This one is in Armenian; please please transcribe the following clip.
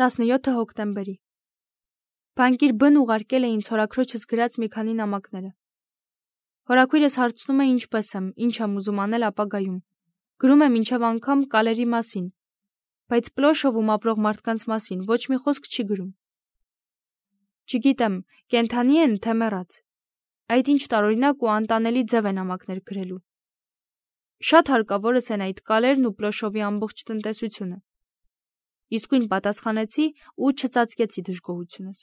17 հոկտեմբերի։ Բանկիր Բ-ն ուղարկել է ինձ հորաքրոջս գրած մի քանի նամակները։ Հորաքույրս հարցնում է ինչպես եմ, ինչ եմ ուզում անել ապագայում։ Գրում է մինչև անգամ կալերի մասին, բայց Պլոշովում ապրող մարդկանց մասին ոչ մի խոսք չի գրում։ Չգիտեմ, կենդանի են, թե մեռած։ Այդ ինչ տարօրինակ ու անտանելի ձև է նամակներ գրելու։ Շատ հարկավորս են այդ կալերն ու Պլոշովի ամբողջ տնտեսությունը։ Իսկույն պատասխանեցի ու չծածկեցի դժգոհությունս։